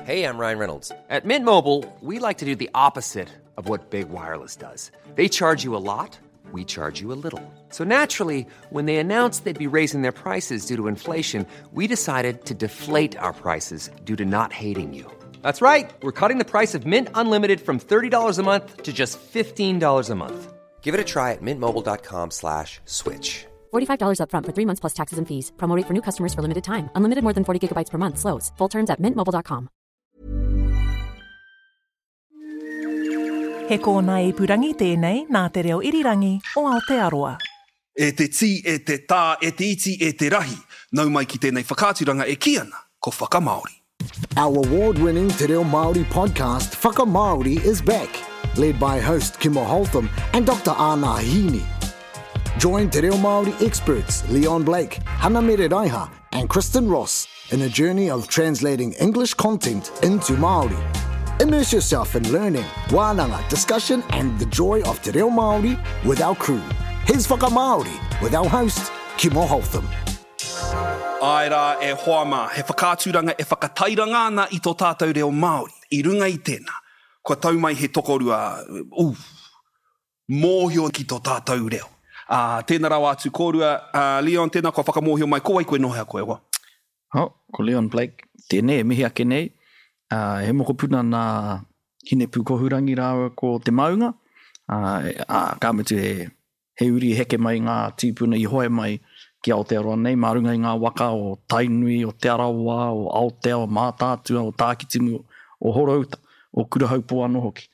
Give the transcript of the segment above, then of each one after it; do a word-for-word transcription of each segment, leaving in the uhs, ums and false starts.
Hey, I'm Ryan Reynolds. At Mint Mobile, we like to do the opposite of what Big Wireless does. They charge you a lot, we charge you a little. So naturally, when they announced they'd be raising their prices due to inflation, we decided to deflate our prices due to not hating you. That's right. We're cutting the price of Mint Unlimited from thirty dollars a month to just fifteen dollars a month. Give it a try at mintmobile dot com slash switch. forty-five dollars upfront for three months plus taxes and fees. Promo rate for new customers for limited time. Unlimited more than forty gigabytes per month. Slows. Full terms at mintmobile dot com. He kōnae ipurangi tēnei nā Te Reo Irirangi o Aotearoa. E te tī, e te tā, e te iti, e te rahi. Nau mai ki tēnei whakaaturanga e kī ana, ko Whakamāori. Our award-winning Te Reo Māori podcast Whakamāori is back, led by host Kimo Holtham and Doctor Ana Hini. Join Te Reo Māori experts Leon Blake, Hana Raiha and Kristen Ross in a journey of translating English content into Māori. Immerse yourself in learning, wānanga, discussion and the joy of Te Reo Māori with our crew. Here's Whakamāori with our host, Kimo Holtham. Ai rā e hoa mā, he whakaaturanga e whakatairanga ana i tō tātou reo Māori. I runga i tēnā, kua tau mai he tokorua, uf, mōhio ki tō tātou reo. Uh, tēnā rawa atu kōrua, uh, Leon, tēnā kua whakamōhio mai, ko wai koe, nō hea koe, wa? Oh, ko Leon Blake, tēnei e mihi ake nei. Uh, he mokopuna nā Hinepūkohurangi rāua ko Te Maunga. Uh, uh, ka mutu he, he uri heke mai ngā tīpuna i hoe mai ki Aotearoa nei, mā runga i ngā waka o Tainui, o Te Arawa, o Aotea, o Mātaatua, o Tākitimu, o Horouta, o Kurahaupō anō hoki.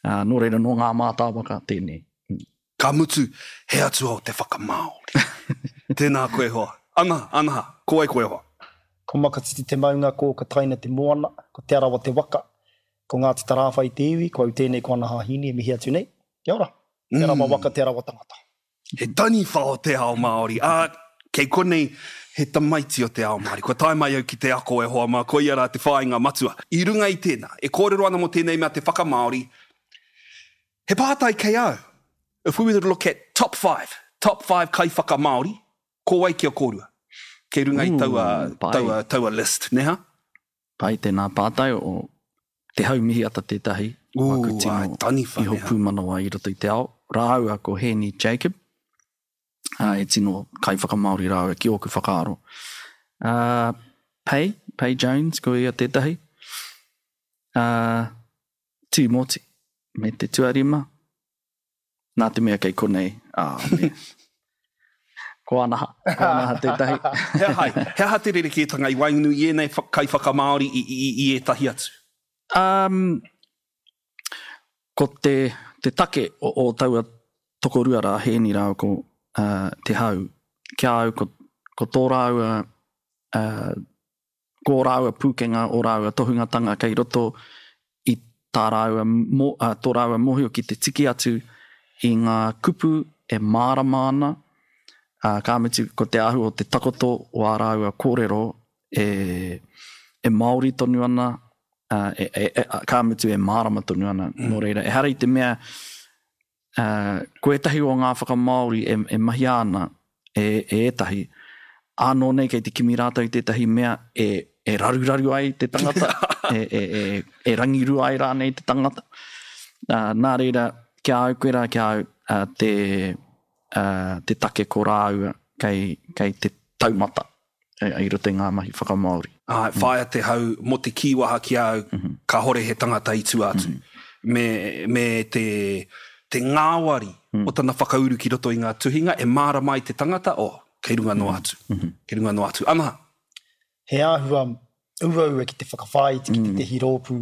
Uh, nō reira, nō ngā mātāwaka tēnei. Ka mutu, he atua o te whakamāori. Tēnā koe hoa. Ana, ana, ko wai koe hoa? Ko Makatiti te maunga, ko Kataina te moana, ko Te Arawa te waka, ko Ngāti Tarāwhai te iwi, ko au tēnei ko Ana Hāhini e mihi atu nei. Kia ora. Te Arawa waka, Te Arawa tangata. He taniwha o te ao Māori. Ā, kei konei he tamaiti o te ao Māori. Kua tae mai au ki te ako e hoa mā, koia rā te whāinga matua. I runga i tēnā, e kōrero ana mō tēnei mea te whakamāori, he pātai kei au. If we were to look at top five, top five kai whakamāori, ko wai ki a kōrua? Kei runga i taua, pai. taua, taua list, neha? Pai tēnā pātai o Te Haumihiata tētahi. Ū, Waku tino ai, taniwha, iho neha. pūmanawa i roto i te ao. Rāua ko Hēni Jacob, uh, e tino kai whakamāori rāua ki ōku whakaaro. Uh, Pei, Pei Jones, ko ia tētahi. Uh, Tīmoti, me te tuarima. Nā te mea kei konei. Ah, me. Ko Anaha, ko Anaha tētahi. He aha, he aha te rerekētanga i waenganui i ēnei wha- kai whakamāori i, i, i ētahi atu? Um, ko te, te take o, o taua tokorua rā, Hēni rāua ko uh, Te Hau, kia au ko, ko tō rāua, uh, ko ō rāua pūkenga, o rāua tohungatanga kei roto i tā rāua, mo, uh, tō rāua mōhio ki te tiki atu i ngā kupu e mārama ana, uh, ka mutu ko te āhua o te takoto o ā rāua kōrero e, e Māori tonu ana, uh, e, e, e, ka mutu e mārama tonu ana. Mm. Nō reira, ehara i te mea, uh, ko ētahi o ngā whakamāori e, e mahia ana e, e ētahi, ānō nei kei te kimi rātou i tētahi mea e, e raruraru ai te tangata, e, e, e, e rangirua ai rānei te tangata. Uh, nā reira, kia au koe rā, kia au uh, te, uh, te take ko rāua kei, kei te taumata e, i roto i ngā mahi whakamāori. Ai, whaia Te Hau mō te kīwaha ki au, ka hore he tangata i tua atu. Me, me te, te ngāwari o tana whakauru ki roto i ngā tuhinga, e mārama ai te tangata, oh, kei runga noa atu. Kei runga noa atu. Ana, He āhua uaua ki te whakawhāiti ki tētehi rōpū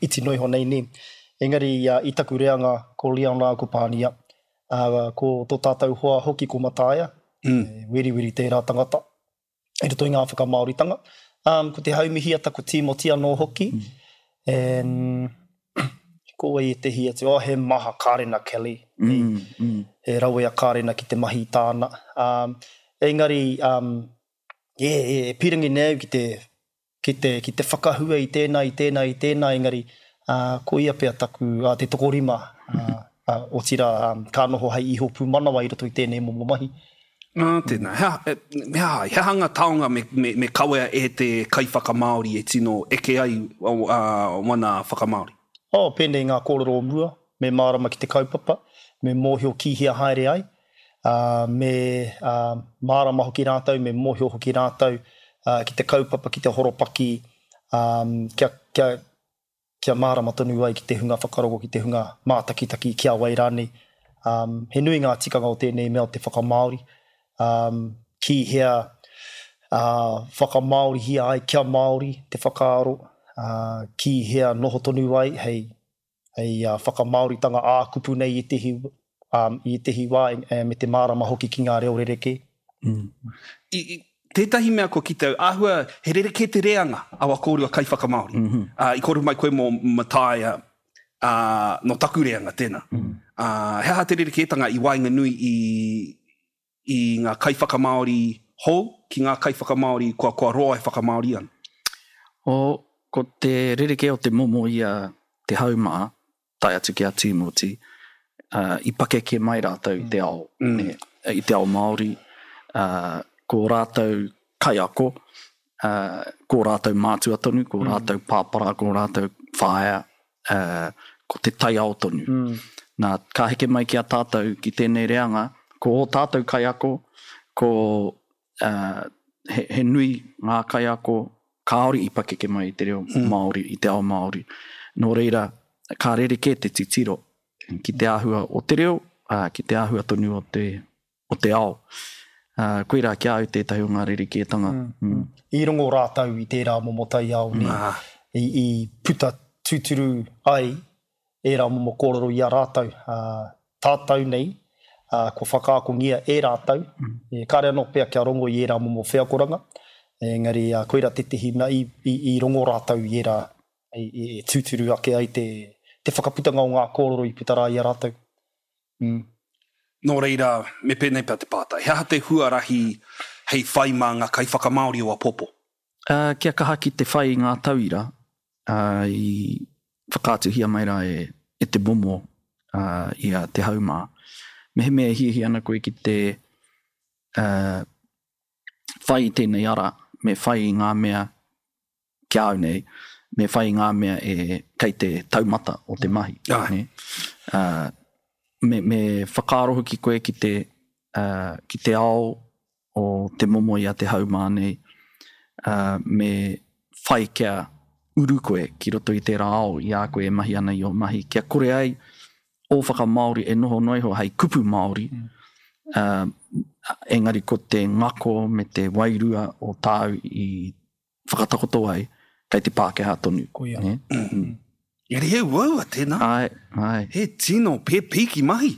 iti noa iho nei ne. Engari uh, i taku reanga ko Leon rā ko Pānia, uh, ko tō tātou hoa hoki ko Mataia, mm. e, weriweri tērā tangata, i roto i ngā whakamāoritanga. Um, ko Te Haumihiata, ko Tīmoti anō hoki. Mm. And, ko wai ētehi atu, oh, he maha Karena Kelly. Mm, mm. He rawe a Karena ki te mahi i tāna. Um, engari, um, e, e, e pirangi nei au ki te, ki te, ki te whakahua i tēnā, i tēnā, i tēnā, engari, uh, ko ia pea taku, uh, te tokorima, uh, uh, otirā, um, ka noho hei iho pūmanawa i roto i tēnei momo mahi. Ā, tēnā. He aha, he aha, he aha ngā taonga me, me, me kawea e te kaiwhakamāori e tino eke ai uh, wana whakamāori? Oh, pēnei ngā kōrero o mua, me mārama ki te kaupapa, me mōhio ki hea haere ai, uh, me uh, mārama hoki rātou, me mōhio hoki rātou uh, ki te kaupapa, ki te horopaki, um, kia, kia, kia mārama tonu ai ki te hunga whakarongo, ki te hunga mātakitaki, ki a wai rānei. Um, he nui ngā tikanga o tēnei mea o te whakamāori, um, ki hea uh, whakamāorihia ai kia Māori te whakaaro, uh, ki hea noho tonu ai hei, hei uh, whakamāoritanga ā-kupu nei i ētehi, um, i ētehi wā e, me te mārama hoki ki ngā reo rerekē. Mm. I, i, tētahi mea kua kite au, āhua he rerekē te reanga a wā kōrua kaiwhakamāori. Mm -hmm. uh, i kōrero mai koe mō Mataia, uh, no taku reanga tēnā. Mm -hmm. uh, he aha te rerekētanga i waenganui i, i ngā kaiwhakamāori hou ki ngā kaiwhakamāori kua, kua roa e whakamāori ana? O, ko te rerekē o te momo i a Te Hau mā, tae atu ki a Tīmoti, uh, i pakeke mai rātou i te ao, mm. ne, i te ao Māori, uh, ko rātou kaiako, uh, ko rātou mātua tonu, ko mm. rātou pāpara, ko rātou whaea, uh, ko te taiao tonu. Mm. Nā, ka heke mai ki a tātou ki tēnei reanga, ko ō tātou kaiako, ko uh, he, he nui ngā kaiako kāore i pakeke mai i te reo mm. Māori, i te ao Māori. Nō reira, ka rerekē te titiro ki te āhua o te reo, uh, ki te āhua tonu o te, o te ao. Uh, koirā ki a au tētahi o ngā rerekētanga. Mm. Mm. I rongo rātou i tērā momo taiao nei, ah. i, i puta tūturu ai ērā momo kōrero i a rātou. Uh, tātou nei, uh, kua whakaakongia e rātou, mm. e, kāre anō pea kia rongo i ērā momo wheakoranga, engari uh, koirā tētehi mea i, i, i rongo rātou i ērā, i, i, e tūturu ake ai te, te whakaputanga o ngā kōrero i puta rā i a rātou. Mm. Nō reira, me pēnei pea te pātai. He aha te huarahi hei whai mā ngā kaiwhakamāori o apopo? Uh, kia kaha ki te whai i ngā tauira, uh, i whakaatuhia mai rā e, e te momo uh, i a Te Hau mā. Mehemea e hiahia ana koe ki te uh, whai i tēnei ara, me whai i ngā mea ki a au nei, me whai i ngā mea e kei te taumata o te mahi. Ai. Ne? Uh, me, me whakaaro hoki koe ki te, uh, ki te ao o te momo i a Te Hau mā nei, uh, me whai kia uru koe ki roto i tērā ao i a koe e mahi ana i ō mahi, kia kore ai ō whakamāori e noho noa iho hei kupu Māori, mm. uh, engari ko te ngako me te wairua o tāu i whakatakoto ai, kei te Pākehā tonu. Koia. Ne? Mm. Engari he uaua tēnā. Ai, ai. He tino pēpīki mahi.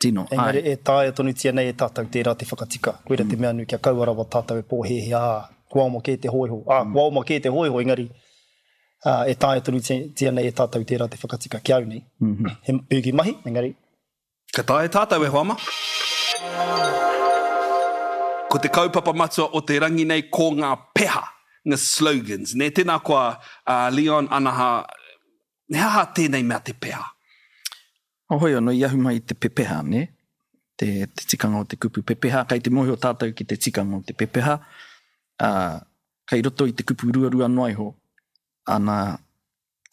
Tino, ai. Engari e taea tonutia nei e tātou tērā te whakatika. Koira te mea nui kia kaua rawa tātou e pōhēhē, ā, kua oma kē te hōiho. Ā, kua oma kē te hōiho, engari ā, e taea tonutia nei e tātou tērā te whakatika ki au nei. Mm -hmm. He pīki mahi, engari. Ka taea tātou e hoa mā. Ko te kaupapa matua o te rangi nei ko ngā peha, ngā slogans. Ne, tēnā koa uh, Leon Anaha, he aha tēnei mea te peha? Oh, hoi anō, i ahu mai te pepeha, ne? Te, te tikanga o te kupu pepeha. Kei te mōhio tātou ki te tikanga o te pepeha. Uh, kei roto i te kupu ruarua noa iho, ana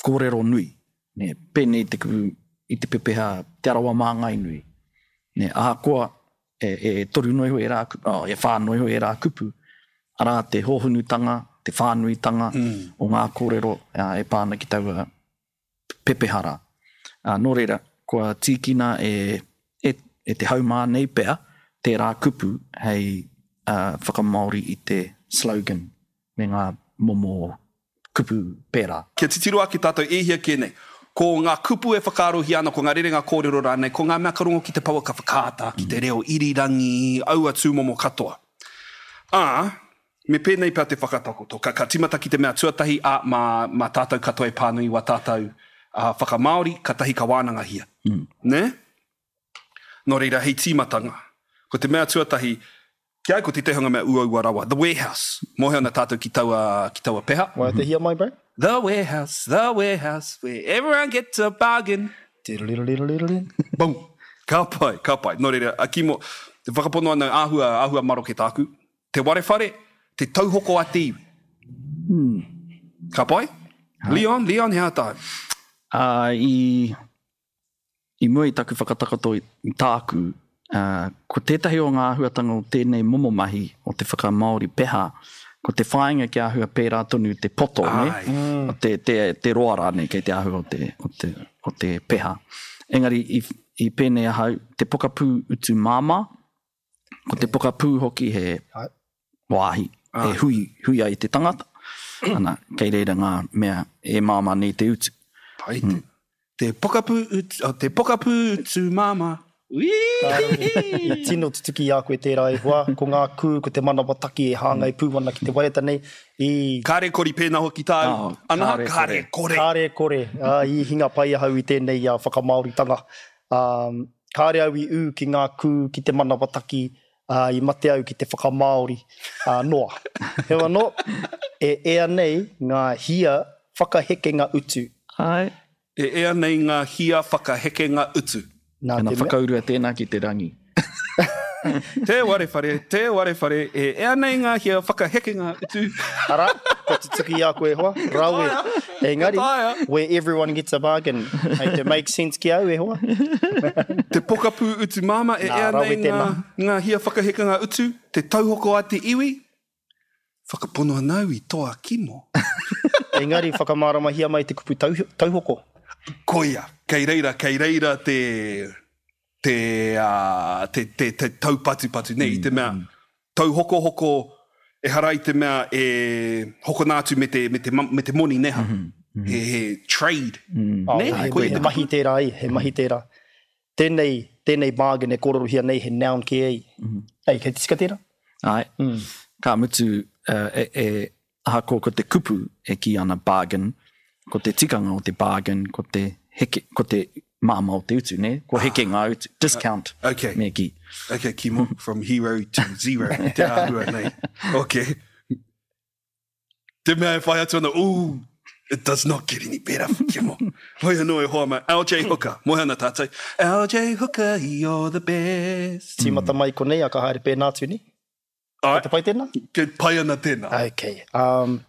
kōrero nui. Ne? Pēnei te kupu i te pepeha Te Arawa Māngai nui. Ne? Ahakoa e, e toru noa iho e rā, oh, e whā noa iho e rā kupu, arā te hōhonutanga, te whānuitanga mm. o ngā kōrero uh, e pā ana ki taua pepeha rā. Uh, nō reira, kua tīkina e, e, e Te Hau mā nei pea, tērā kupu hei uh, whakamāori i te slogan me ngā momo kupu pērā. Kia titiro ake tātou e hia kē nei. Ko ngā kupu e whakaarohia ana, ko ngā rerenga kōrero rānei, ko ngā mea ka rongo ki te pouaka whakaata, ki te reo irirangi, aua tūmomo katoa. Ā, me pēnei pea te whakatakoto. Ka, ka timata ki te mea tuatahi, ā, mā, mā tātou katoa e pānui wā tātou uh, whakamāori, katahi ka wānangahia. Mm. Ne? Nō reira, hei tīmatanga. Ko te mea tuatahi, ki ai ko te tehanga mea uaua rawa, The Warehouse. Mōhio ana tātou ki taua, ki taua peha. Waiatahia mai, bro? The Warehouse, The Warehouse, where everyone gets a bargain. Tiriririririri. Boom. Ka pai, ka pai. Nō reira, a Kimo, Te whakapono ana āhua, āhua maroke tāku. Te warewhare, te tauhoko a te iwi. Hmm. Ka pai? Leon, Leon, he aha tāu? Uh, i, i mua i taku whakatakoto i, i tāku, uh, ko tētahi o ngā āhuatanga o tēnei momo mahi o te whakamāori peha, ko te whāinga kia āhua pērā tonu te poto, ne? Ai. O te, te, te roa rānei kei te āhua o te, o te, o te peha. Engari i, i pēnei ahau, te pokapū utu māmā, ko te pokapū hoki he Ai. wāhi, e hui, hui ai te tangata. Ana, kei reira ngā mea e māmā nei te utu. Pai te. Te pokapū utu, oh, te pokapū utu māmā. Ui! I tino tutuki i a koe tērā e hoa, ko ngā kū, ko te manawataki e hāngai pū ana ki te waiata nei, i Kāre kori pēnā hoki tāu. Oh, Ana, kāre kāre kore. Kāre kore, ā, i hinga pai ahau i tēnei uh, whakamāoritanga. Um, kāre au i ū ki ngā kū, ki te manawataki, uh, i mate au ki te whakamāori uh, noa. Heoi anō, e ea nei ngā hia whakahekenga utu. Ai. E ea nei ngā hia whakahekenga utu. Nā Ana te mea, whakaurua tēnā ki te rangi. Te warewhare, te warewhare, e ea nei ngā hia whakahekenga utu. ara, kua tutuki i a koe e hoa, rawe. Engari, Taea. where everyone gets a bargain. Hei te make sense ki au e hoa. Te pokapū utu māmā, e Nā, ea rawe nei ngā, tēnā. ngā hia whakahekenga utu, te tauhoko a te iwi, whakapono ana au i toa kimo. Engari, whakamāramahia mai te kupu tau, tauhoko. Koia, kei reira, kei reira te, te, uh, te, te, te taupatupatu nei, i te mea tauhokohoko ehara i te mea e hokona atu me te, me te, me te moni neha. He, he trade. Oh, Ne? he, Koia he te mahi tērā ai, he mahi tērā. Tēnei, tēnei bargain e kōrerohia nei he noun ki ei. Ei, kei te tika tērā? Ai. Ka mutu, uh, e, e, ahakoa ko te kupu e kī ana bargain, ko te tikanga o te bargain, ko te heke, ko te māmā o te utu, ne? Ko heke ngā utu, discount, Okay. me kī. Okay, Kimo, from hero to zero. Te āhua nei. Okay. Te mea e whai atu ana, ooh, it does not get any better for Kimo. Hoi anō e hoa mai, L J Hooker, moe ana tātou. L J Hooker, you're the best. Tīmata mai konei, a ka haere pēnā atu ni. Ai, Te pai tēnā? ke pai ana tēnā. Okay. Um,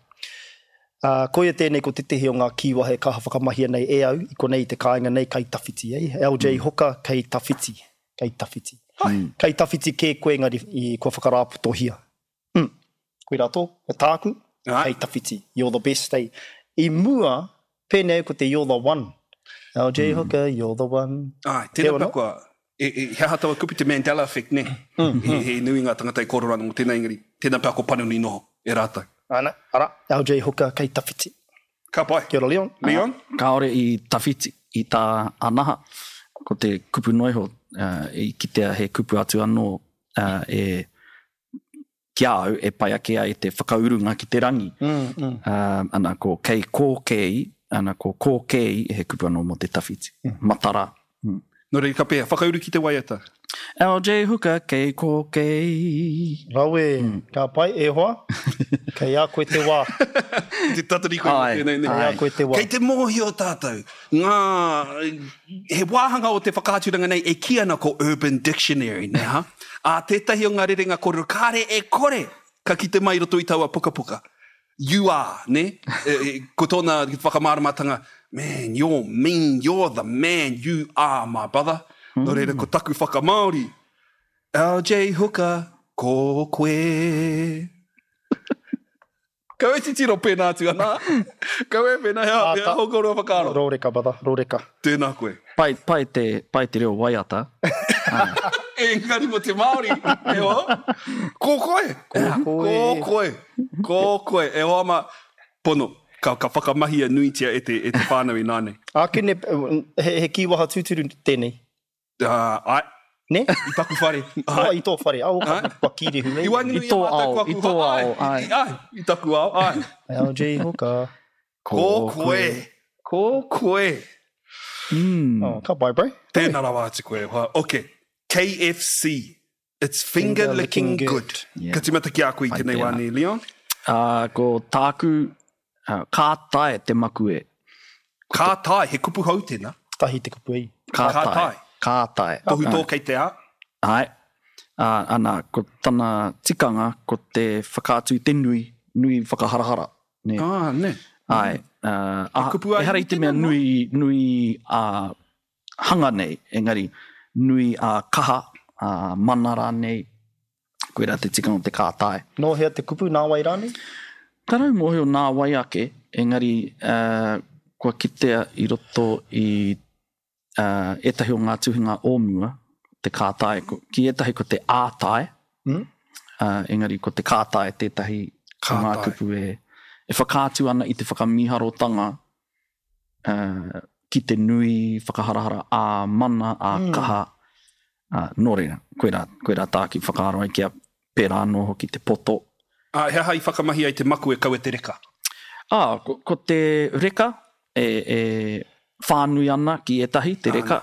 uh, koia tēnei ko tētehi o ngā kīwahe kaha whakamahia nei e au, i konei i te kāinga nei kei tawhiti. Eh? L J Hooker kei tawhiti. Kei tawhiti. Kei tawhiti kē koe engari i kua whakarāpotohia. Mm. Koe rā tō, ko tāku, Ai. kei tawhiti. You're the best. Eh? I mua, pēnei ko te you're the one. L J Hooker, you're the one. Ai, tēnā Heoi pea anō. kua, e, e, he aha taua kupu te Mandela effect, ne? He, he nui ngā tangata e kōrero ana mō tēnā engari, tēnā pea ko panoni noho e rātou. Ana, ara, L J Hooker kei tawhiti. Ka pai. Kia ora, Leon. Leon? Kāore i tawhiti, i tā anaha, ko te kupu noiho, uh, i kitea he kupu atu anō uh, e, ki a au e pai ake ai te whakaurunga ki te rangi. Mm, mm. Uh, ana ko kei kōkei, ana ko kōkei he kupu anō mō te tawhiti. Mm. Matara. Mm. Nō reira, ka pēhea, whakauru ki te waiata. L J Hooker kei kōkei. Rawe, ka pai, e hoa, kei a koe te wā. Te tatari koe mō Ai, tēnei, ne? Kei a koe te wā. Kei te mōhio tātou, ngā, he wāhanga o te whakaaturanga nei e kī ana ko Urban Dictionary, ne ha? Ā, tētahi o ngā rerenga kōrero, kāre e kore, ka kite mai i roto i taua pukapuka. You are, ne? E, e, ko tōna whakamāramatanga, man, you're mean, you're the man, you are my brother. Nō reira, ko taku whakamāori, L J Hooker, ko koe. Kau e titiro pēnā atu ana. Kau e pēnā, hea, Ah, hea, ta- hokoro whakaaro. Rōreka, brother, rōreka. Tēnā koe. Pai, pai, te, pai te reo waiata. Engari mo te Māori, e hoa. Ko koe. Ko koe. Ko koe. Ko koe. E hoa ma, pono, ka, ka whakamahia nuitia e te, e te whānau i nānei. Ākene, he, he kīwaha tūturu tēnei. Uh, ai, Ne? i taku whare. Oh, i tō whare. Oh, Ai. kua kīrehu nei. I waenganui I tō a mātou ao, ko aku i tō hoa- ao, ai, ai. Ai, i taku ao, ai. L J Hooker. Ko koe. Ko koe. Mm. Oh, ka pai, bro. Tēnā rawa atu koe. Hoa. Okay. K F C. It's finger, Finger licking, licking good. good. Yeah. Ka tīmata ki a koe i Pai tēnei tēnā. wā nei, Leon. Uh, ko tāku, uh, ka tae te makue. Ka tae, he kupu hou tēnā. Tahi te kupu ei. Ka Ka tae. tae. Ka tae. Tohu tō kei te a. Ai. Ā, ana, ko tana tikanga, ko te whakaatu i te nui, nui whakaharahara, nē. Ā, nē. Āe, ā, He kupu ā ehara i iwi te mea tēnā, nō? nui, nui ā hanga nei, engari nui ā kaha, ā mana rānei, koirā te tikanga o te kātae. Nō hea te kupu, nā wai rānei? Tarau mōhio nā wai ake, engari uh, kua kitea i roto i uh, ētahi o ngā tuhinga o mua, te kātae, ko, ki ētahi ko te ātae, mm? uh, engari ko te kātae tētahi o ngā Kātae. kupu e, e whakaatu ana i te whakamīharotanga uh, ki te nui whakaharahara ā mana, ā mm. kaha, uh, nō reira, koirā, koirā tāku whakaaro ai kia pērā anō hoki te poto. Ā, he aha i whakamahi ai te maku e kaua te reka? Ā, ko, ko te reka e, e whānui ana ki ētahi, te reka,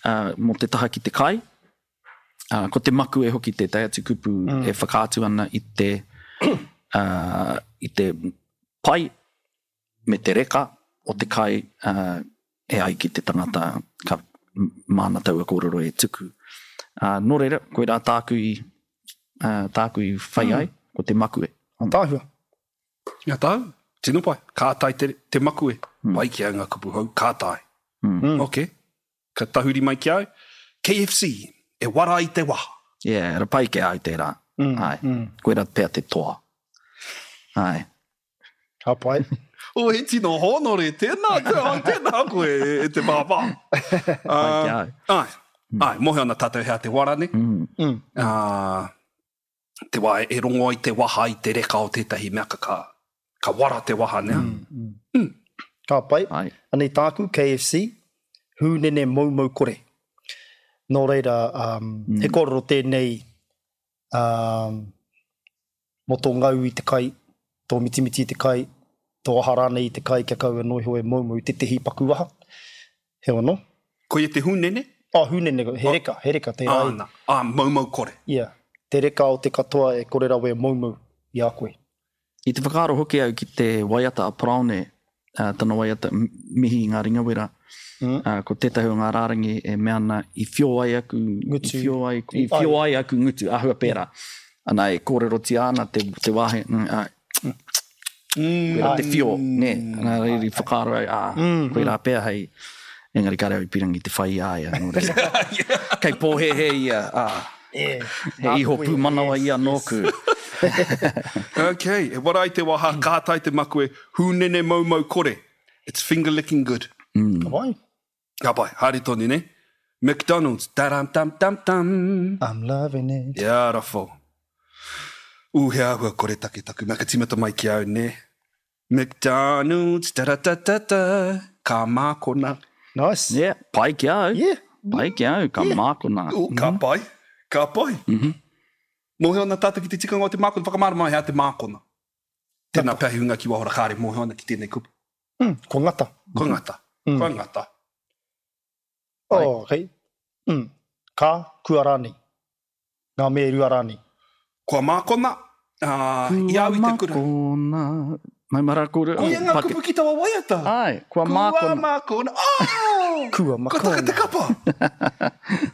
uh, mō te taha ki te kai. Uh, ko te maku e hoki tētahi atu kupu mm. e whakaatu ana i te, uh, i te pai me te reka o te kai uh, e ai ki te tangata ka māna taua kōrero e tuku. Uh, nō reira, koirā tāku i, uh, tāku i whai ai, mm. ko te makue. Tāhua. Ia tāu, tino pai. Ka tae te, te makue. Mm. Pai ki au ngā kupu hou, ka tae. Mm. Ok. Ka tahuri mai ki au. K F C, e wara i te waha. Yeah, ra pai ki au tērā. Mm. Ai. Mm. Koirā pea te toa. Ai. Ka pai. O, he tino hōnore, tēnā, tēnā, tēnā koe e, e te pāpā. Pai ki au. Ai, ai, mōhio ana tātou hea te wara, ne? Mm. Mm. Uh, te wā e rongo ai te waha i te reka o tētahi mea ka, ka, ka wara te waha, ne? Mm. Mm. Mm. Ka pai. Ai. Anei tāku, K F C, hūnene moumou kore. Nō reira, um, mm. he kōrero tēnei um, mō tō ngau i te kai, tō mitimiti i te kai, tō aha rānei i te kai kia kaua noa iho e moumou tētehi paku waha. He ono. Koia te hūnene? Oh, hūnene, he reka, he reka tērā. Āna, ā, moumou kore. Yeah, te reka o te katoa e kore rawe e moumou i a koe. I te whakaaro hoki au ki te waiata a Paraone, uh, tana waiata mihi i ngā ringawera, mm. uh, ko tētahi o ngā rārangi e mea ana i whio ai aku, ngutu. I whio ai, i whio ai aku ngutu, āhua pērā. Ana e kōrerotia ana te, te wāhi, mm, uh, mm. koirā te whio, nē, ana reira i whakaaro ai, ā, mm, koirā pea hei, engari kāre au i pirangi te whai i a ia, nō reira. Kei pōhēhē ia, ā, yeah. he iho pūmanawa ia nōku. Ok, e wara ai te waha, ka tae te makue, hūnene moumou kore. It's finger licking good. Mm. Ka pai. Ka pai, haere tonu, ne? McDonald's, daram dam dam dam. I'm loving it. Beautiful. Ū, he āhua kore take taku, mea ka tīmata mai ki au, ne? McDonald's, da da da da da, ka mākona. Nice. Yeah, pai ki au. Yeah. Pai ki au, ka yeah. mākona. Ū, ka mm. pai, ka pai. Mm-hmm. Mōhio ana tātou ki te tikanga o te mākona, whakamārama hea te mākona. Tēnā pea he hunga ki wahora kāre mōhio ana ki tēnei kupu. Mm, ko ngata. Ko ngata. Mm. Ko ngata. Oh, okay. Mm. Ka, kua rānei. Ngā me rua rānei. Kua mākona, uh, i au i te kura. Kua mākona. Mai mara kore. Koia ngā kupu ki taua waiata. Ai, kua mākona. Kua mākona. Oh! Kua mākona. Ko taka te kapa.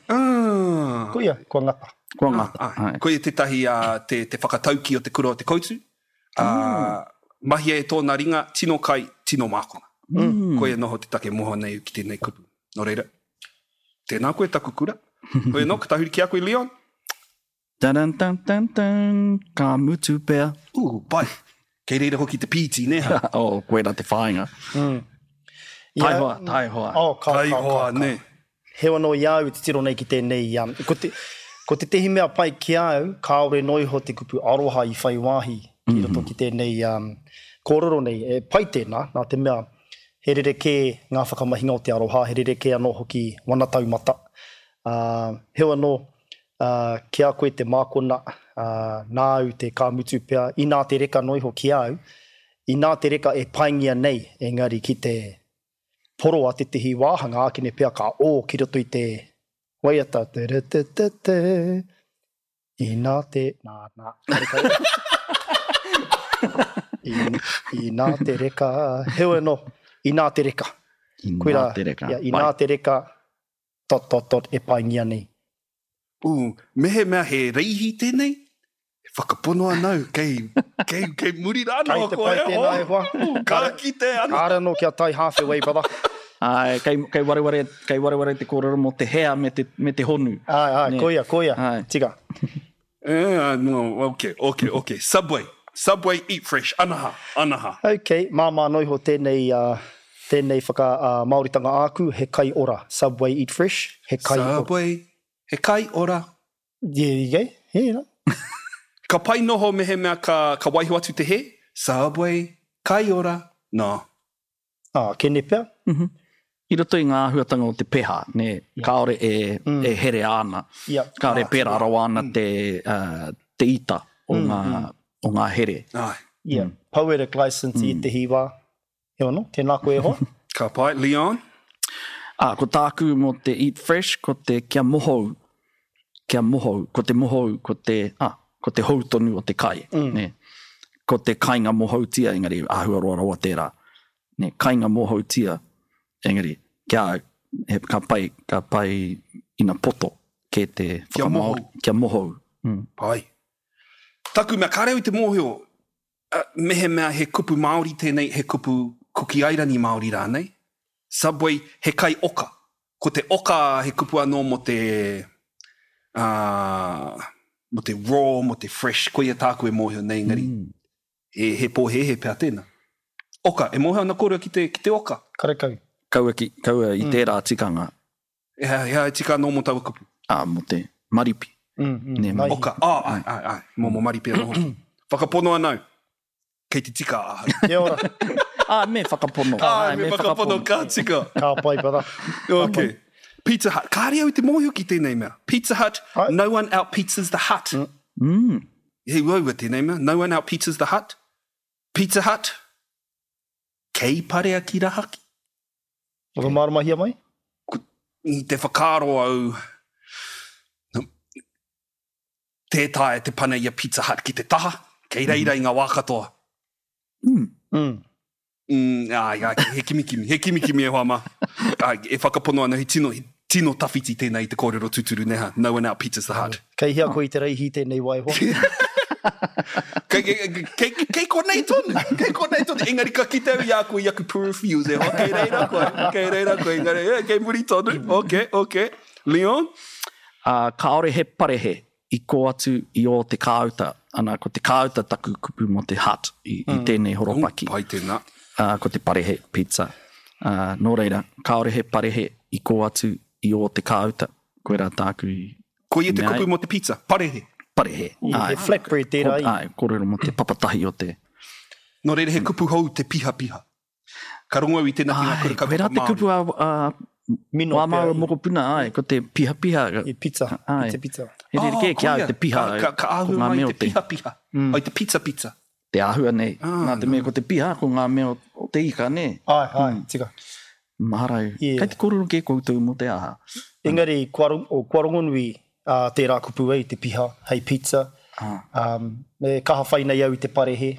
Ah. Koia, kua ngata. Kua ngata. Ah, ah. Koia tētahi uh, te, te whakatauki o te kura o te koutu. Uh, mm. Mahia e tōna ringa, tino kai, tino mākona. Mm. Koia noho te take moho nei ki tēnei kupu. Nō reira, tēnā koe taku kura. Koia no, ka tahuri ki a koe, Leon. Tan tan tan tan, ka mutu pea. Ū, pai. Kei reira hoki te pīti, ne ha? Oh, koirā te whāinga. Mm. Taihoa, taihoa. Oh, ka, ka, Taihoa, ka, ka. ne. Heoi anō i au i te tiro nei ki tēnei. Um, ko, te, ko te tehi mea pai ki au, kāore noa iho te kupu aroha i whai wāhi ki roto ki tēnei um, kōrero nei. E pai tēnā, nā te mea he rerekē ngā whakamahinga o te aroha, he rerekē anō hoki wana taumata. Uh, heoi anō, uh, ki a koe te mākona, uh, nāu te ka mutu pea, inā te reka noa iho ki au, inā te reka e paingia nei, engari ki te poroa tētehi wāhanga, ākene pea ka ō ki roto i te waiata, te re te te te, inā te, nā, nā, karekau. In, inā te reka, heoi anō, inā te reka. Inā Koirā, te reka. ia, inā te reka, dot, dot, dot, e paingia nei. Ū, mehemea he reihi tēnei, e whakapono ana au, kei, kei, kei muri rā Kei noa te koe pai e tēnā hoa. e hoa. Ū, ka kite ana. Kāre anō kia tae half away, brother. Āe, kei, kei wareware, kei wareware te kōrero mō te hea me te, me te honu. Āe, āe, Nē. koia, koia. Āe. Tika. Eh, no, ok, ok, ok. Subway. Subway, eat fresh. Anaha, anaha. Ok, māmā noa iho tēnei, uh, tēnei whaka uh, Māoritanga āku, he kai ora. Subway, eat fresh, he kai ora. Subway, he kai ora. Yeah, yeah, yeah, yeah. Ka pai noho mehemea ka, ka waiho atu te he? Subway, kai ora. No. Ah, kene pea. I roto i ngā āhuatanga o te peha, nē, kāore e, mm. e here ana. Yeah. Kāore Ah, pērā rawa ana te, uh, te ita o ngā, o ngā here. Ai. Yeah. Poetic license i te hiwa. He ono, tēnā koe e hoa. Ka pai, Leon. Ah, ko tāku mō te eat fresh, ko te kia mohou, kia mohou, ko te mohou, ko te, ah, ko te hou tonu o te kai. Mm. Nē. Ko te kainga mohoutia, engari āhua roa rawa tērā. Nē, kainga mohoutia, engari, kia au, he, ka pai, ka pai ina poto ke te Kia whakamāori. mohou. Kia mohou. Mm. Pai. Taku mea, kāre au i te mōhio, uh, mehemea he kupu Māori tēnei, he kupu Kuki Airani Māori rānei. Subway, he kai oka. Ko te oka he kupu anō mō te, uh, mō te raw, mō te fresh, koia tāku e mōhio nei, engari, mm. he, he pōhēhē pea tēnā. Oka, e mōhio ana kōrua ki te, ki te oka. Karekau. Kaua, ki, kaua i tērā tikanga, E, he he tika anō mō taua kupu. ah, mō te maripi. Mm, mm, Nē, naihi. Oka, ah, ai, ai, ai, mō mō maripi anō hoki. Whakapono anau, kei te tika ahau. Kia ora. Ah, me whakapono. Ai, Āe, me whakapono ka tika. Ka pai, brother. Okay. Pizza Hut. Kāre au i te mōhio ki tēnei mea. Pizza Hut, Ai. no one out pizzas the hut. Mm. He uaua tēnei mea. No one out pizzas the hut. Pizza Hut. Kei parea ki rahaki. Whakamāramahia mai? I te whakaaro au, tē taea te pana i a Pizza Hut ki te taha, kei reira i ngā wā katoa. Mm. Mm. Mm, ai, ai, he kimikimi, he kimikimi e hoa mā. Ai, e whakapono ana, he tino, he tino tawhiti tēnei i te kōrero tūturu neha. No one out pizzas the hut. Kei hea koe i te reihi tēnei wai hoa. Kei, kei, kei, kei konei tonu, kei konei tonu. Engari ka kite au i a koe i aku peripherals e hoa, kei reira koe, kei reira koe, engari, eh, kei muri tonu. Ok, ok. Leon? Uh, kāore he parehe i kō atu i ō te kāuta. Ana, ko te kāuta taku kupu mō te hut i, i tēnei horopaki. Pai tēnā. Uh, ko te parehe pizza. Uh, nō reira, kāore he parehe i kō atu i ō te kāuta. Koe rā tāku i Koia te Mea kupu ai. mō te pizza, parehe. parehe. Yeah, he flatbread tērā i. Ai, kōrero mō te papatahi o te... Nō reira he kupu hou te piha piha. Ka rongo au i tēnā ki ngā kura Ai, koe rā kaupapa te Māori. kupu a, a Mino wā pea māua i. mokopuna, ai, ko te piha piha. I pizza, Ai. pizza, pizza. He rerekē Oh, ki au koia. te piha. Ka, ka, ka ko āhua ngā mai mea o te piha piha. Mm. Ai te pizza pizza. Te āhua nei. Ah, Nā te mea ko te piha, ko ngā mea o, o te ika, nē. Ai, ai, tika. Maharau. Yeah. Kei te kōrero kē koutou mō te aha. Engari, kua, rong- o, kua rongonui uh, tērā kupu ei, te piha, hei pizza. Ah. Um, me kaha whai nei au i te parehe,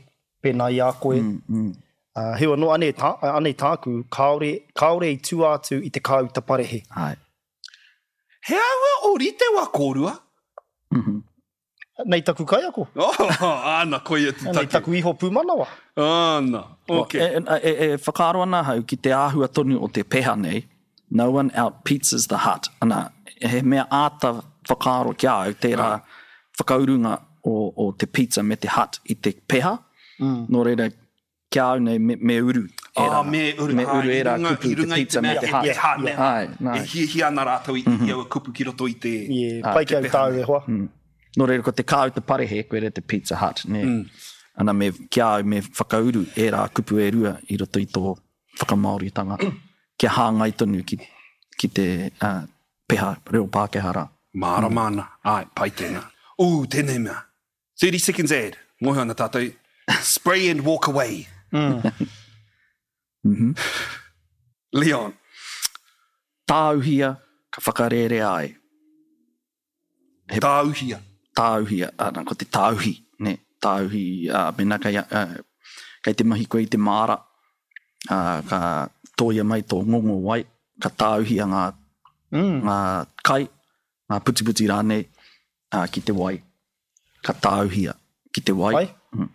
pēnā i a koe. Mm, mm. Uh, heoi anō, anei, tā, anei tāku, kāore, kāore i tua atu i te kāuta parehe. Ai. He āhua o rite wā kōrua? Mm -hmm. Nei taku kaiako, Oh, ana, koia te nei take. taku iho pūmanawa. Ana, ok. E, e, e, e whakaaro ana ahau ki te āhua tonu o te peha nei, no one out pizzas the hut. Ana, he mea āta whakaaro ki a au, tērā whakaurunga o, o te pizza me te hut i te peha. Mm. Nō reira, ki a au nei me, me uru. Ah, me uru. Me Ah, uru i ērā runga- kupu, i te runga i pizza me mea te he hut. hut, ne? Ai, nā. E hiahia ana rātou i, i aua kupu ki roto i te... Yeah, pai ki au tāu e hoa. Mm. Nō reira, ko te kāuta parehe, koe re te Pizza Hut. Ne? Mm. Ana me, ki a au me whakauru ērā kupu e rua i roto i tō whakamāoritanga. Kia hāngai tonu ki, ki te uh, peha reo Pākehā rā. Mārama ana. Ai, pai tēnā. Ū, tēnei mea. thirty seconds ad. Mōhio ana tātou. Spray and walk away. Mm -hmm. Leon. Tāuhia ka whakarērea ai. He... Tāuhia. Tāuhia, ana, ko te tāuhi, ne? Tāuhi, uh, mena kei, uh, kei te mahi koe i te māra, uh, ka tōia mai tō ngongo wai, ka tāuhia ngā, mm. ngā kai, ngā putiputi rānei, uh, ki te wai. Ka tāuhia ki te wai. Ai? Mm.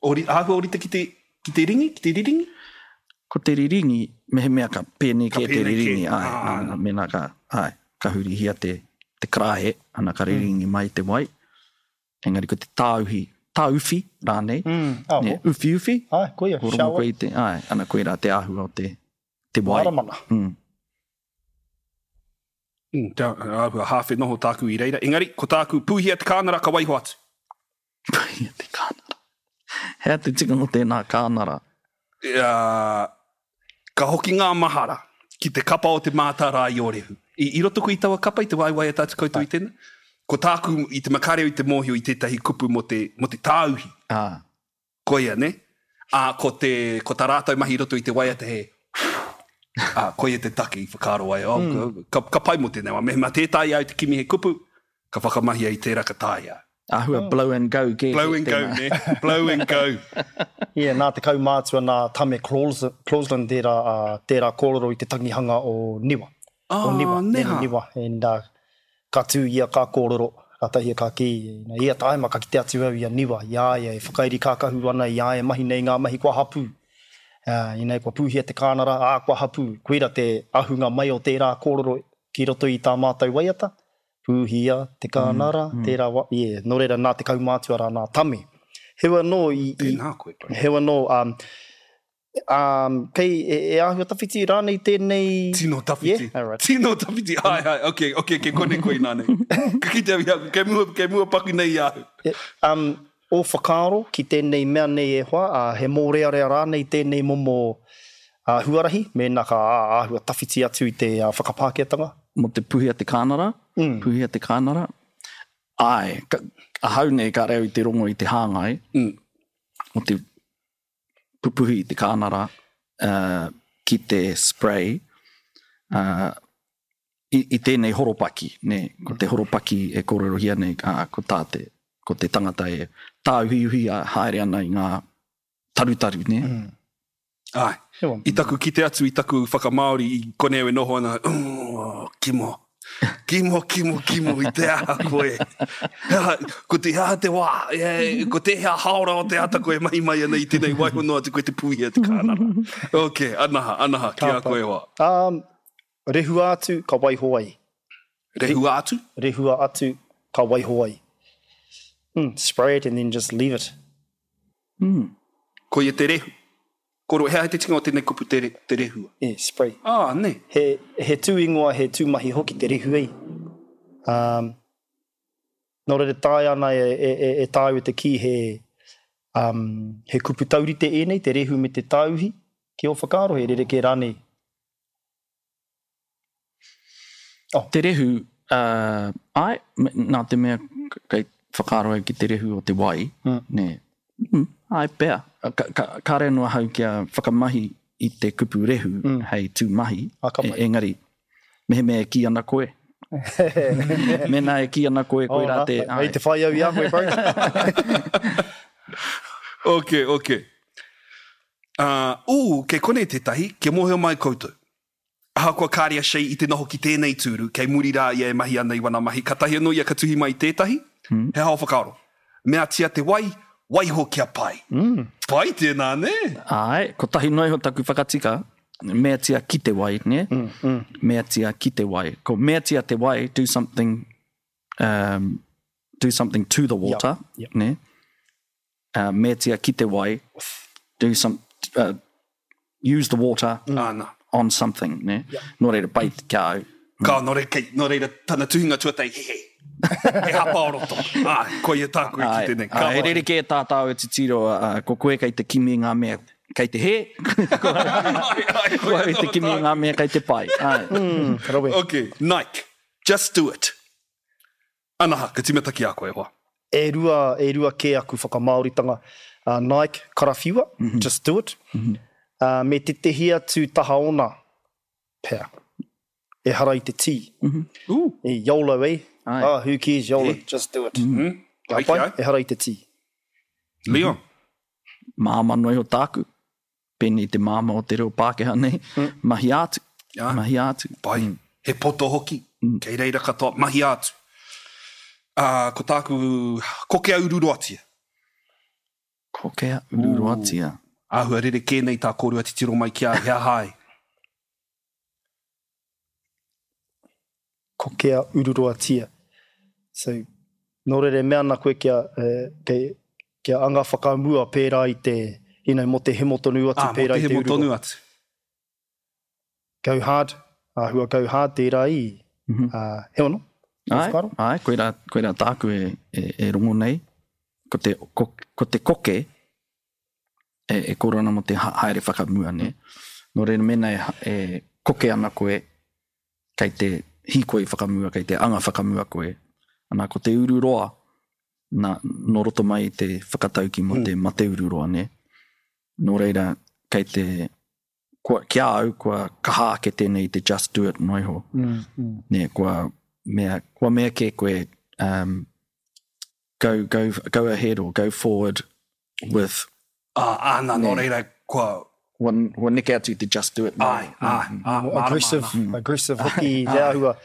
Ori, āhua orite ki te, ki te ringi, ki te riringi? Ko te riringi, mehemea ka pēnei Ka kē te pēnei kē. riringi, ai, Ah. ana, mēnā ka, ai, ka hurihia te, te karāhe, ana ka riringi mai te wai. Engari ko te tāuhi, tāuwhi rānei, Mm, ah, ne, uwhi uwhi, Ai, koia, ko rongo shower. koe i te, ai, ana koe rā te āhua o te, te wai. Maramana. Mm. Mm, te āhua hāwhe noho tāku i reira. Engari, ko tāku pūhia te kānara ka waiho atu. Pūhia te kānara. Hea te tikanga o tēnā kānara? Uh, ka hoki ngā mahara ki te kapa o te mātārā i Ōrehu. I, i roto koe i taua kapa i te waiwai a tātu koutou i tēnā? Ko tāku i te makareo i te mōhio i tētahi kupu mō te, mō te tāuhi. Ah. Koia, ne? Ā, ko, te, ko tā rātou mahi i roto i te waiata he Ā, koia te take i whakaaro ai. Oh, mm. ka, ka pai mō tēnei wā. Mehemea tē taea au te kimi he kupu, ka whakamahia i tērā ka taea. Āhua blow and go kē. Blow and go, ne? Blow and go. Yeah, nā te kaumātua nā Tame Clausland tērā, uh, tērā kōrero i te tangihanga o Niwa. Ah, o Niwa, neha. Niwa. And, uh, ka tū ia ka kōrero, ka tahia ka kī. Na, ia taima ka kite atu au i a Niwa, i a ia e whakairi kākahu ana, i a ia mahi nei ngā mahi kua hapū. Uh, i nei, kua pūhia te kānara, ā, kua hapū. Koira te ahunga mai o tērā kōrero ki roto i tā mātou waiata. Pūhia te kānara, mm, mm. tērā wa... Yeah, nō reira, nā te kaumātua rā, nā Tame. Hewa anō i... i Tēnā koe, bro. Hewa anō, um, um, kei, e, e āhua tawhiti rānei tēnei... Tino tawhiti. Yeah? All right. Tino tawhiti. Ai, ai, ok, ok, kei kone koe nā nei. Ka kite au i au, kei mua, kei mua paku nei i au. E, um, o whakaaro ki tēnei mea nei e hoa, uh, he mōrearea rānei tēnei momo uh, huarahi, mēnā ka āhua tawhiti atu i te uh, whakapākehātanga. Mō te puhia te kānara, mm. puhia te kānara. Ai, ka, ahau nei ka reo i te rongo i te hāngai, mm. o te pupuhi i te kānara uh, ki te spray uh, i, i tēnei horopaki, ne? Ko te horopaki e kōrerohia nei, uh, ko tā te, ko te tangata e tāuhiuhi a haere ana i ngā tarutaru, ne? Mm. Ai, i taku kite atu, i taku whakamāori, i konei au e noho ana, oh, kimo, kimo, kimo, kimo, i te aha koe. Ko te aha te wā, e, ko te hea haora o te ata koe mahi mai ana i tēnei waiho noa atu koe te pūhia te kānara. Ok, anaha, anaha, ki a koe wā. Um, rehua atu, ka waiho ai. Rehua atu? Rehua atu, ka waiho ai. Mm, spray it and then just leave it. Mm. Koia te rehu. Koro, hea te tinga o tēnei kupu te, re, te rehua? Yeah, spray. Ah, ne. He, he tū ingoa, he tū mahi hoki te rehu ei. Um, nō reira taea ana e, e, e, e tāu e te kī he, um, he kupu taurite ēnei, te rehu me te tāuhi, ki o whakaaro, he rerekē rānei. Oh. Te rehu, uh, ai, nā te mea kei whakaaro au ki te rehu o te wai, mm. ne. Mm, ai pea. Ka, ka, kāre noa hau kia whakamahi i te kupu rehu mm. hei tū mahi, Ah, ka pai. e, engari, mehemea e kī ana koe. Mēnā e kī ana koe, koe Oh, rā nā, te... Hei te whai au i a koe, bro. Ok, ok. Uh, ū, kei konei tētahi, kia mōhio mai koutou. Ahakoa kāre a Shay i te noho ki tēnei tūru, kei muri rā ia e mahi ana i wana mahi, katahi anō ia ka tuhi mai tētahi, mm. he hao whakaaro. Meatia te wai, waiho kia pai. Mm. Pai tēnā, ne? Ai, kotahi noa iho taku whakatika, meatia ki te wai, ne? Mm, mm. Meatia ki te wai. Ko meatia te wai, do something, um, do something to the water, Yep, yep. ne? Uh, meatia ki te wai, do some, uh, use the water mm. Ana. on something, ne? Yep. Nō reira, pai kia au. Ka, nō reira, kei, nō reira, tana tuhinga tuatahi, he he. He hapa o roto. Ai, koia tāku e Ai, kite nei. Ka ai, he rerekē tā tāu e titiro, uh, ko koe kei te kimi ngā mea kei te hē, Ai, ai, ko au i te kimi ngā mea kei te pai. Ai. Mm, rawe. Ok, Nike, just do it. Anaha, ka timata ki a koe, hoa. E rua, e rua kē aku whakamāoritanga. Uh, Nike, karawhiua, Mm -hmm. just do it. Mm -hmm. Uh, me tētehi atu taha ona, pea. E hara i te tī. Mm -hmm. Ooh. E YOLO, eh? Ai. Ah, who cares, YOLO, Eh. just do it. Mm -hmm. Ka Ai, pai, ai. e hara i te tī. Leon. Māma noa iho tāku, pēnei te māma o te reo Pākehā nei, Mm. mahi atu, Ah. mahi atu. Pai. Mm. He poto hoki. Mm. Kei reira katoa, mahi atu. Uh, Uh, ko tāku, kokea ururoatia. Kokea ururoatia. Āhua rerekē nei tā kōrua titiro mai ki a he aha ai. Kokea ururoatia. So, nō reira e mea ana koe kia, eh, kia, kia anga whakamua pērā i te, you know, mō te hemo tonu atu Ah, mō pērā te i te hemo ururoa. tonu atu. Go hard, āhua go hard tērā i. Mm -hmm. uh, he ono? Tō Ai, whakaaro? ai, koirā, koirā tāku e, e, e rongo nei. Ko te, ko, ko te koke, e, e kōrero ana mō te haere whakamua, ne? Nō reira mēnā e, e koke ana koe, kei te hīkoi whakamua, kei te anga whakamua koe. Ana, ko te ururoa, nā, nō roto mai i te whakatauki mō te mate ururoa, ne? Nō reira, kei te, kua, ki a au, kua kaha ake tēnei i te just do it noa iho. Mm, mm. Ne, kua mea, kua mea kē koe, um, go, go, go ahead or go forward with... Ah, āna, nō reira, kua... Kua, kua neke atu i te just do it. Ai, ai, ai, More aggressive, aggressive hoki te āhua.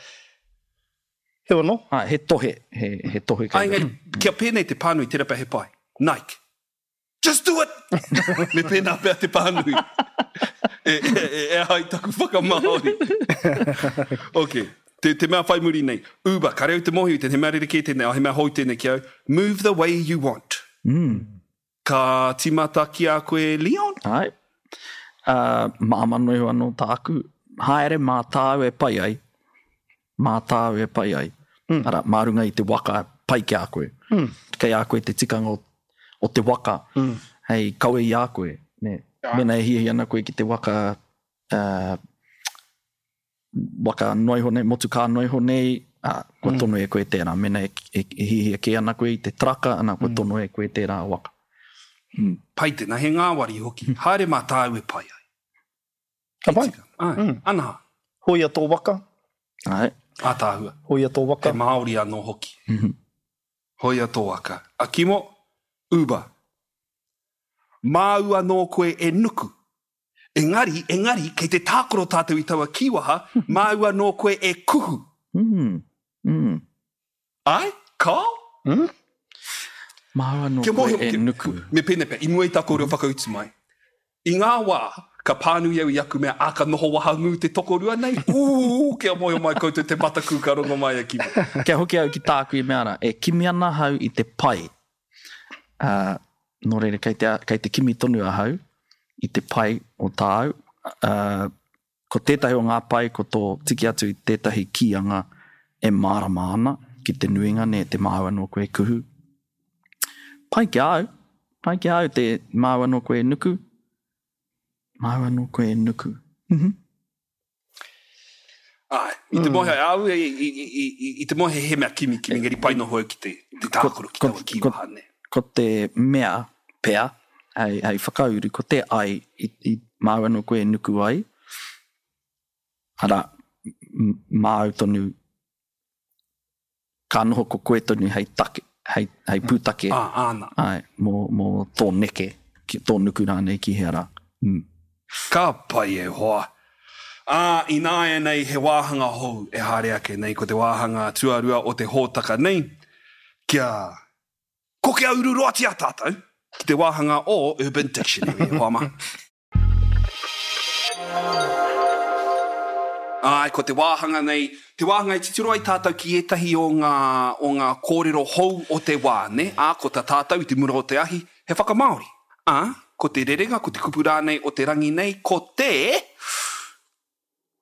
He ono? Ai, he tohe, he, he tohe Ai, kei engari, kia pēnei te pānui, tērā pea he pai. Nike. Just do it! Me pēnā pea te pānui. E, e, e, e ai taku whakamāori. Ok. Te, te mea whai muri nei. Uber, ka reo te mōhio, te he mea rerekē tēnei, oh, he mea hou tēnei ki au. Move the way you want. Mm. Ka tīmata ki a koe, Leon? Ai. Uh, māma noa iho anō tāku. Haere mā tāu e pai ai. Mā tāu e pai ai. Mm. Ara, mā runga i te waka pai ki a koe. Mm. Kei a koe te tikanga o, o te waka mm. hei kawe i a koe. Ne? Mēnā e hiahia ana koe ki te waka, uh, waka noa iho nei, motukā noa iho nei, uh, kua Mm. tono e koe tērā. Mēnā e, e, e hiahia kē ana koe i te traka, ana, kua Mm. tono e koe tērā waka. Mm. Pai tēnā, he ngāwari hoki. Haere mā tāu e pai ai. Ka pai. Ai, mm. Ana. Hoia tō waka. Ai. Ātaahua. Hoia tō waka. He Māori anō hoki. Mm -hmm. Hoia tō waka. A Kimo, Uber. Māu anō koe e nuku. Engari, engari, kei te tākaro tātou i taua kīwaha, māu anō koe e kuhu. Mm. Mm. Ai? Kao? Mm? Māu anō Kia koe mōhio, e kia- nuku. Me pēnei pea, i mua i tā kōrero whakautu mai. I ngā wā, ka pānui au i aku mea, ā, ka noho wahangū te tokorua nei. Ū, kia mōhio mai koutou te mataku ka rongo mai a Kimo. Kia hoki au ki tāku i mea rā, e kimi ana ahau i te pai. Uh, nō reira, kei te, kei te kimi tonu ahau i te pai o tāu. Uh, ko tētahi o ngā pai, ko tō tiki atu i tētahi kīanga e mārama ana ki te nuinga, ne, te māu anō koe kuhu. Pai ki a au, pai ki a au te māu anō koe nuku. Māu anō koe nuku. Mm-hmm. Ai, i te mōhio, au, i, i, i, i, i te mōhio he mea kimi, kimi, engari pai noho au ki te, te tākaro ki taua kīwaha, ne. Ko te mea pea, hei, hei whakauru, ko te ai, i, i māu anō koe nuku ai. Ara, m- māu tonu, ka noho ko koe tonu hei take, hei, hei pūtake. Ah, āna. Ai, mō, mō tō neke, ki, tō nuku rānei ki hea rā. Mm. Ka pai e hoa. Ā, ināianei he wāhanga hou e haere ake nei, ko te wāhanga tuarua o te hōtaka nei, kia kokea ururoatia tātou ki te wāhanga o Urban Dictionary, e hoa mā. Ai, ko te wāhanga nei, te wāhanga e titiro ai tātou ki ētahi o ngā, o ngā kōrero hou o te wā, ne? Ā, ko tā tātou i te mura o te ahi, he whakamāori. Ā, ko te rerenga, ko te kupu rānei o te rangi nei, ko te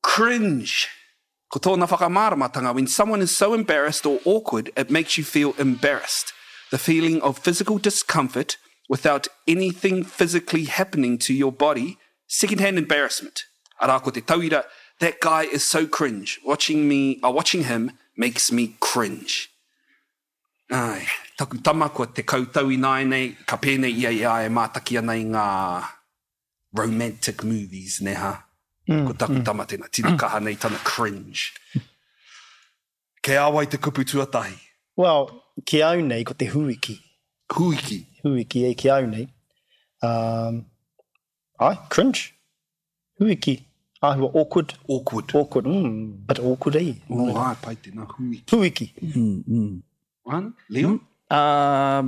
cringe. Ko tōna whakamāramatanga, when someone is so embarrassed or awkward, it makes you feel embarrassed. The feeling of physical discomfort without anything physically happening to your body, secondhand embarrassment. Arā, ko te tauira, that guy is so cringe. Watching me, uh, watching him makes me cringe. Ai, taku tama kua te kautau ināianei, ka pēnei ia i a e mātaki ana i ngā romantic movies, ne ha? Mm, Ko taku mm. tama tēnā, tino kaha nei tana cringe. Kei a wai te kupu tuatahi? Well, ki au nei, ko te huiki. Huiki? Huiki e ki au nei. Um, ai, cringe. Huiki. Āhua awkward. Awkward. Awkward, mm, but awkward e. Ooh, ai, pai tēnā, huiki. Huiki. Mm, mm. Ana, Leon? Mm. Uh,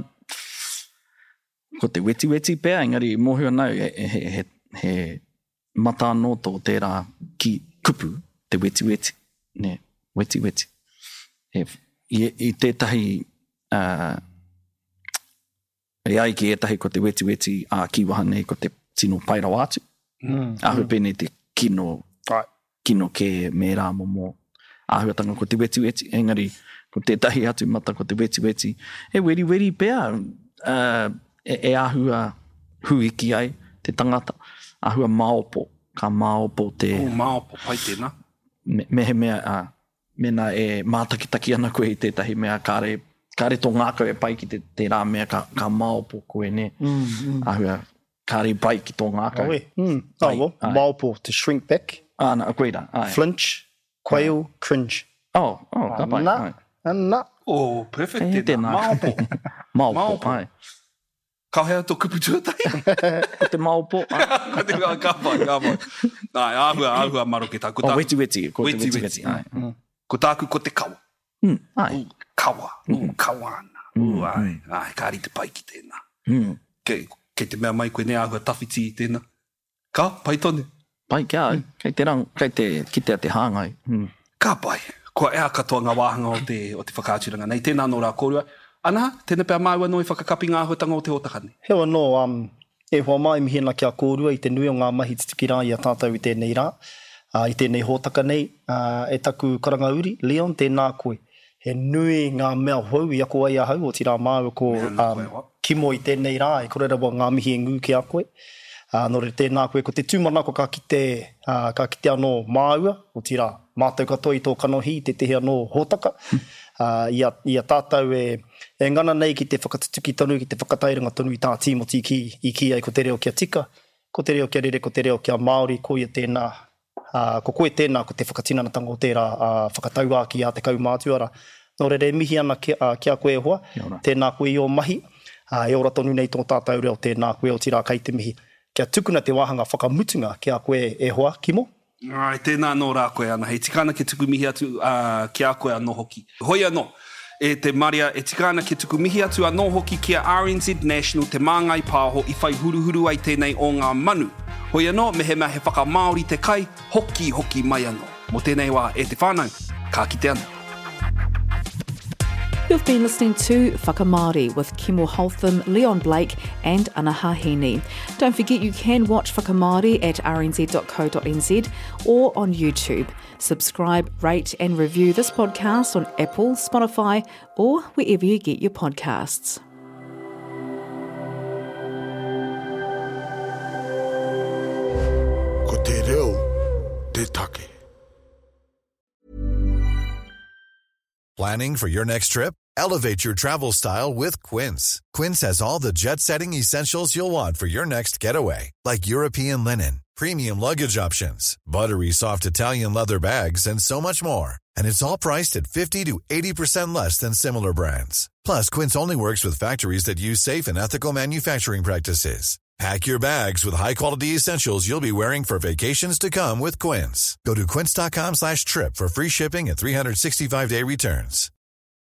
ko te wetiweti pea, engari mōhio nau, he, he, he, he mata anō tō tērā ki kupu, te wetiweti. Ne, wetiweti. He, i, i tētahi, uh, e ai ki ētahi ko te wetiweti ā kīwaha nei ko te tino pai rawa atu. Mm. Āhua pēnei te kino, Right. kino kē me rā momo āhuatanga ko te wetiweti, engari ko tētahi atu mata ko te wetiweti. E weriweri pea, uh, e, e āhua huiki ai te tangata, āhua maopo, ka maopo te... Oh, maopo, pai tēnā. Me, mehemea, uh, mena e mātakitaki ana koe i tētahi mea, kāre, kāre tō ngākau e pai ki te, tērā mea, ka, ka maopo koe, ne? Mm, mm. Āhua, kāre pai ki tō ngākau. Oh, e. Mm. Oh, well, maopo, to shrink back. Ah, na, koira. Ai. Flinch, quail, ai. Cringe. Oh, oh, ka pai. Ana, ana. Oh, perfect e, tēnā. Maopo. Maopo, maopo. Ai. Ka hea tō kupu tuatahi? Ko te maopo. Ko te ka pai, ka pai. Ai, āhua, āhua maroke tā. Ko tāku, oh, weti weti. Ko te weti weti. Ai. Mm. Ko tāku ko te kawa. Mm, ai. U, kawa. U, mm. kawa ana. U, mm. ai. Ai, ka rite pai ki tēnā. Mm. Kei, kei te mea mai koe nei āhua tawhiti i tēnā. Ka, pai tonu. Pai kia au. Kei te rang, kei te kitea te hāngai. Mm. Ka pai. Kua ea katoa ngā wāhanga o te, o te whakaaturanga nei. Tēnā nō rā kōrua. Ana, tēnā pea māua anō i whakakapi ngā āhuatanga o te hōtaka nei. Heo anō, um, e hoa mai mihi ana ki a kōrua i te nui o ngā mahi tutuki rā i a tātou i tēnei rā, uh, i tēnei hōtaka nei, uh, e taku karanga uri, Leon, tēnā koe. He nui ngā mea hou i ako ai ahau, o tirā māua ko um, Kimo i tēnei rā, e kore rawa ngā mihi e ngū ki a koe. Uh, nō reira tēnā koe, ko te tūmanako ka kite, uh, ka kite anō māua, o tirā, mātou katoa i tō kanohi, tētehi anō hōtaka, uh, i, a, i a tātou e, e ngana nei ki te whakatutuki tonu, ki te whakatairanga tonu i tā Tīmoti ki, i ki ai ko te reo kia tika, ko te reo kia rere, ko te reo kia Māori, ko ia tēnā, uh, ko koe tēnā, ko te whakatinanatanga o tērā uh, whakatauāki a te kaumātua rā. Nō reira e mihi ana ki, uh, ki a koe e hoa, tēnā koe i ō mahi, uh, e ora tonu nei tō tātou reo, tēnā koe o tirā kei te mihi. Kia tukuna te wāhanga whakamutunga ki a koe e hoa, Kimo? Ai, tēnā anō rā koe ana. Hei tika ana ke tuku mihi atu uh, ki a koe anō hoki. Hoi anō, e te Maria, e tika ana ke tuku mihi atu anō hoki ki a R N Z National te māngai pāho i whai huruhuru ai tēnei o ngā manu. Hoi anō, mehemea he whakamāori te kai, hoki hoki mai anō. Mō tēnei wā e te whānau, ka kite anō. You've been listening to Whakamāori with Kimo Holtham, Leon Blake and Anaha Hiini. Don't forget you can watch Whakamāori at r n z dot co dot n z or on YouTube. Subscribe, rate and review this podcast on Apple, Spotify or wherever you get your podcasts. Ko te reo, te take. Planning for your next trip? Elevate your travel style with Quince. Quince has all the jet-setting essentials you'll want for your next getaway, like European linen, premium luggage options, buttery soft Italian leather bags, and so much more. And it's all priced at fifty to eighty percent less than similar brands. Plus, Quince only works with factories that use safe and ethical manufacturing practices. Pack your bags with high-quality essentials you'll be wearing for vacations to come with Quince. Go to quince dot com slash trip for free shipping and three sixty-five day returns.